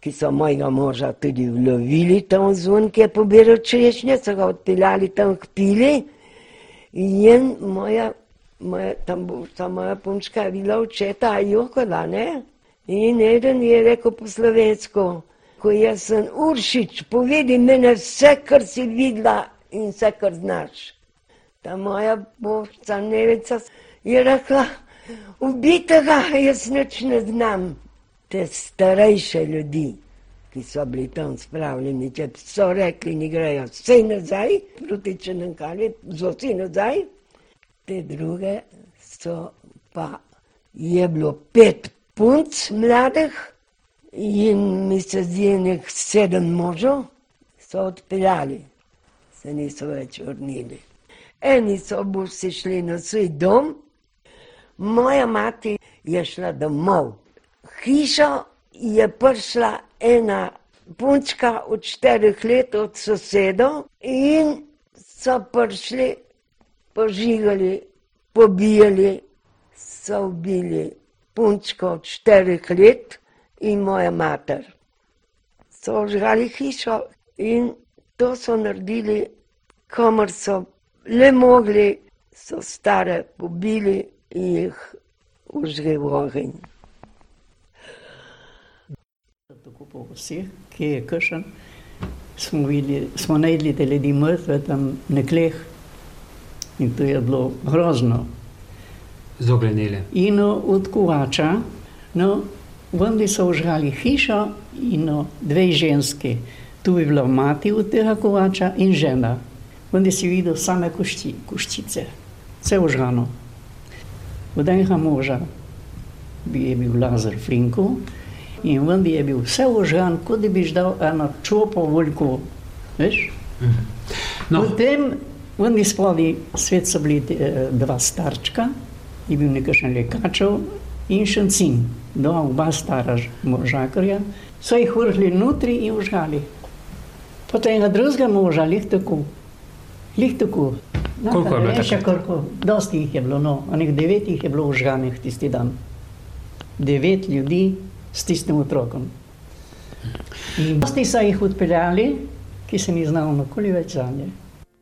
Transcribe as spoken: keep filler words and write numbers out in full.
ki so mojega moža tudi vlovili tam zvon, ki je pobiral češnje, so ga odpeljali tam k pili. In moja, moja, tam ta moja punčka je bila očeta Jokola, ne? In eden je rekel po slovensko, ko jaz sem Uršič, povedi mene vse, kar si videla in vse, kar znaš. Ta moja božca Nevica je rekla, ubitega jaz nič ne znam. Te starejše ljudi, ki so bili tam spravljeni, če so rekli, ni grejo vse nazaj, proti Črnkalju, vsi nazaj. Te druge so pa, je bilo pet punc mladih in mi se zdi nek sedem možov, so odpeljali, se niso več vrnili. Eni so busi šli na svoj dom, moja mati je šla domov. Hišo je prišla ena punčka od štirih let od sosedov in so prišli, požigali, pobijali, so ubili punčko od štirih let in moja mater. So žgali hišo in to so naredili, kamor so le mogli, so stare pobili in jih užgli v ogenj. Tako po vseh, ki je kršen, smo, videli, smo najdli te ljudi mrtve tam na kleh in to je bilo grozno. Zoglenele. In od kovača, no, vendi so užgali hišo in no, dve ženske. Tu je bila mati od tega kovača in žena. Vendi si videl same košči, koščice, vse užgano. Od enega moža je bil Lazar Flinko in vendi je bil vse užgan, kot da bi ždal eno čopo volko, veš? No. Potem vendi spodaj svet so bili dva starčka, je bil nekakšen lekačev in šancin, dva oba stara možakarja, so jih vrhli notri in užgali. Potem enega drugega moža, lih tako, lih tako. Koliko je bilo tako? Dosti jih je bilo, no, onih devet jih je bilo užganih tisti dan. Devet ljudi s tistim otrokom. In dosti so jih odpeljali, ki se ni znal nikoli več zanje.